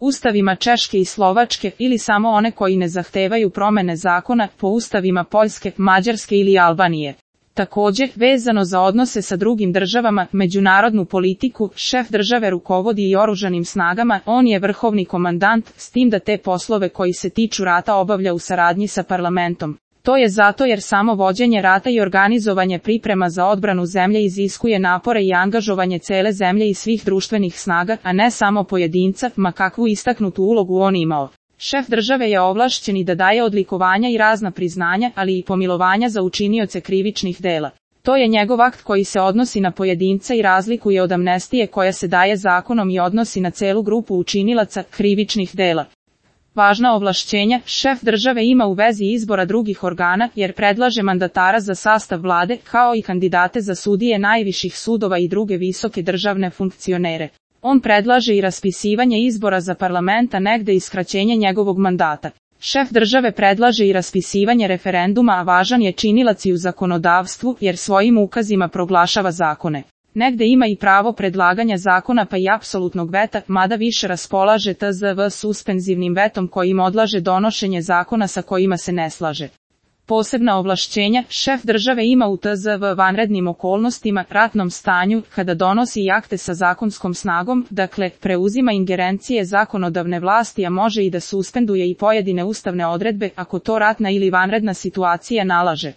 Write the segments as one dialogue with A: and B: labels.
A: ustavima Češke i Slovačke ili samo one koji ne zahtevaju promene zakona po ustavima Poljske, Mađarske ili Albanije. Također, vezano za odnose sa drugim državama, međunarodnu politiku, šef države rukovodi i oružanim snagama, on je vrhovni komandant, s tim da te poslove koji se tiču rata obavlja u saradnji sa parlamentom. To je zato jer samo vođenje rata i organizovanje priprema za odbranu zemlje iziskuje napore i angažovanje cele zemlje i svih društvenih snaga, a ne samo pojedinca, ma kakvu istaknutu ulogu on imao. Šef države je ovlašćen i da daje odlikovanja i razna priznanja, ali i pomilovanja za učinioce krivičnih dela. To je njegov akt koji se odnosi na pojedinca i razlikuje od amnestije koja se daje zakonom i odnosi na celu grupu učinilaca krivičnih dela. Važna ovlašćenja šef države ima u vezi izbora drugih organa jer predlaže mandatara za sastav vlade kao i kandidate za sudije najviših sudova i druge visoke državne funkcionere. On predlaže i raspisivanje izbora za parlamenta negde i skraćenje njegovog mandata. Šef države predlaže i raspisivanje referenduma, a važan je činilac i u zakonodavstvu jer svojim ukazima proglašava zakone. Negde ima i pravo predlaganja zakona pa i apsolutnog veta, mada više raspolaže tzv. Suspenzivnim vetom kojim odlaže donošenje zakona sa kojima se ne slaže. Posebna ovlašćenja šef države ima u tzv. Vanrednim okolnostima, ratnom stanju, kada donosi i akte sa zakonskom snagom, dakle, preuzima ingerencije zakonodavne vlasti, a može i da suspenduje i pojedine ustavne odredbe ako to ratna ili vanredna situacija nalaže.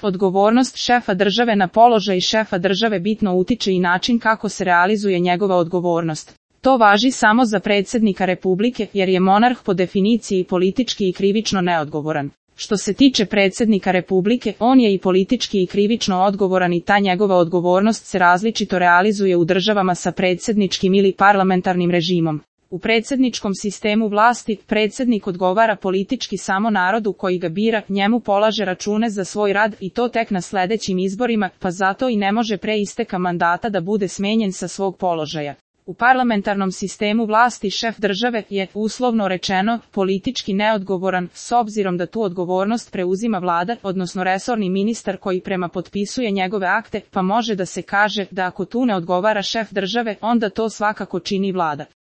A: Odgovornost šefa države na položaj šefa države bitno utiče i način kako se realizuje njegova odgovornost. To važi samo za predsjednika Republike, jer je monarh po definiciji politički i krivično neodgovoran. Što se tiče predsjednika Republike, on je i politički i krivično odgovoran i ta njegova odgovornost se različito realizuje u državama sa predsjedničkim ili parlamentarnim režimom. U predsjedničkom sistemu vlasti, predsjednik odgovara politički samo narodu koji ga bira, njemu polaže račune za svoj rad i to tek na sljedećim izborima, pa zato i ne može pre isteka mandata da bude smenjen sa svog položaja. U parlamentarnom sistemu vlasti šef države je, uslovno rečeno, politički neodgovoran, s obzirom da tu odgovornost preuzima vlada, odnosno resorni ministar koji prema potpisuje njegove akte, pa može da se kaže da ako tu ne odgovara šef države, onda to svakako čini vlada.